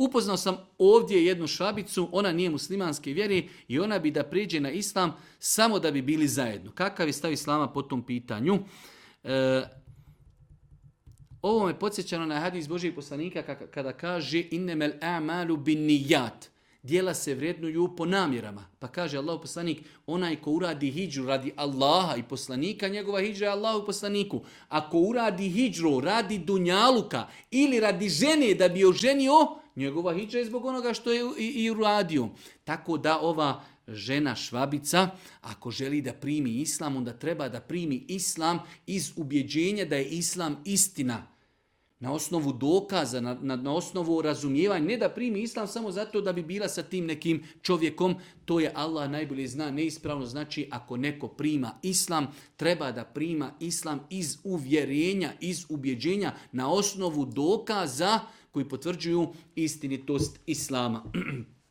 Upoznao sam ovdje jednu švabicu, ona nije muslimanske vjere i ona bi da prijeđe na islam samo da bi bili zajedno. Kakav je stav islama po tom pitanju? Ovo me podsjećano na hadis Božijeg poslanika kada kaže innemel a'malu bin nijat. Dijela se vrednuju po namjerama. Pa kaže Allah poslanik, onaj ko uradi hidžru radi Allaha i poslanika, njegova hidžra je Allahu poslaniku. Ako uradi hidžru radi dunjaluka ili radi žene da bi oženio, njegova hidžra je zbog onoga što je i uradio. Tako da ova žena švabica, ako želi da primi islam, onda treba da primi islam iz ubjeđenja da je islam istina. Na osnovu dokaza, na osnovu razumijevanja, ne da primi islam samo zato da bi bila sa tim nekim čovjekom, to je Allah najbolje zna, neispravno. Znači, ako neko prima islam, treba da prima islam iz uvjerenja, iz ubjeđenja, na osnovu dokaza koji potvrđuju istinitost islama.